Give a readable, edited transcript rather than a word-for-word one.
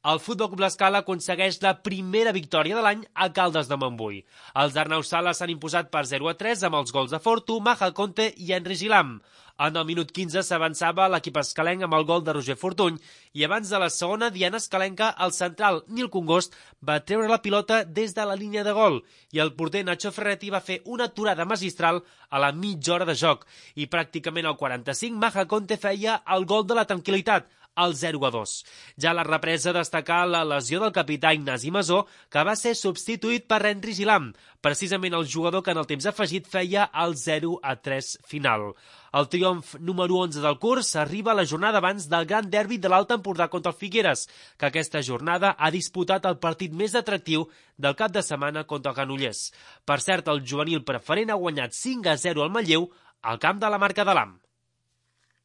El Futbol Club L'Escala aconsegueix la primera victòria de l'any a Caldes de Montbui. Els d'Arnau Sala s'han imposat per 0-3 amb els gols de Fortu, Maja Conte i Henry Gilam. En el minut 15 s'avançava l'equip escalenc amb el gol de Roger Fortuny i abans de la segona diana escalenca el central Nil Congost va treure la pilota des de la línia de gol i el porter Nacho Ferretti va fer una aturada magistral a la mitja hora de joc i pràcticament al 45 Maja Conte feia el gol de la tranquil·litat, el 0-2. Ja a la represa destacar la lesió del capità Ignasi Masó, que va ser substituït per Henry Gilam, precisament el jugador que en el temps afegit feia el 0-3 final. El triomf número 11 del curs arriba a la jornada abans del gran derbi de l'Alt Empordà contra el Figueres, que aquesta jornada ha disputat el partit més atractiu del cap de setmana contra el Granollers. Per cert, el juvenil preferent ha guanyat 5-0 al Manlleu al camp de la Marca de l'Am.